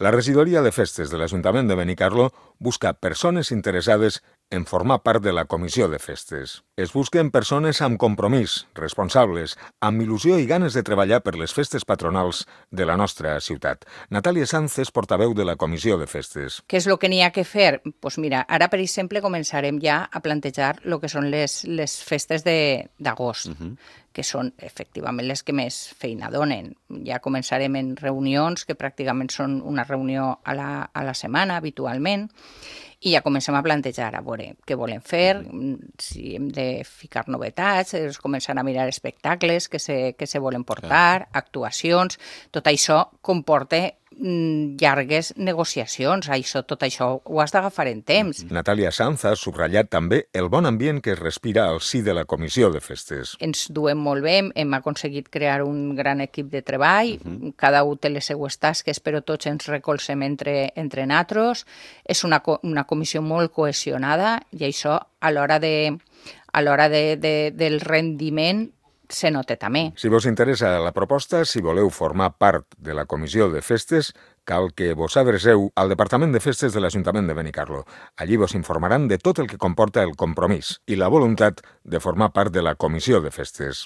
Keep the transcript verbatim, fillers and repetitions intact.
La regidoria de festes de l'Ajuntament de Benicarló busca persones interessades en formar part de la comissió de festes. Es busquen persones amb compromís, responsables, amb il·lusió i ganes de treballar per les festes patronals de la nostra ciutat. Natàlia Sanz és portaveu de la comissió de festes. Què és el que n'hi ha que fer? Doncs mira, ara, per exemple, començarem ja a plantejar el que són les, les festes d'agost, uh-huh. que són efectivament les que més feina donen. Ja començarem en reunions, que pràcticament són una reunió a la, a la setmana, habitualment, i ja comencem a plantejar, a veure què volem fer, si hem de ficar novetats, es començant a mirar espectacles que se, que se volen portar, actuacions, tot això comporta llargues negociacions, això, tot això ho has d'agafar en temps. Natàlia Sanz ha subratllat també el bon ambient que es respira al si de la comissió de festes. Ens duem molt bé, hem aconseguit crear un gran equip de treball, uh-huh. cada un té les seues tasques, però tots ens recolzem entre, entre natros. És una, una comissió molt cohesionada i això a l'hora de, a l'hora de, de, del rendiment se nota també. Si vos interessa la proposta, si voleu formar part de la comissió de festes, cal que vos adreceu al Departament de Festes de l'Ajuntament de Benicarló. Allí vos informaran de tot el que comporta el compromís i la voluntat de formar part de la comissió de festes.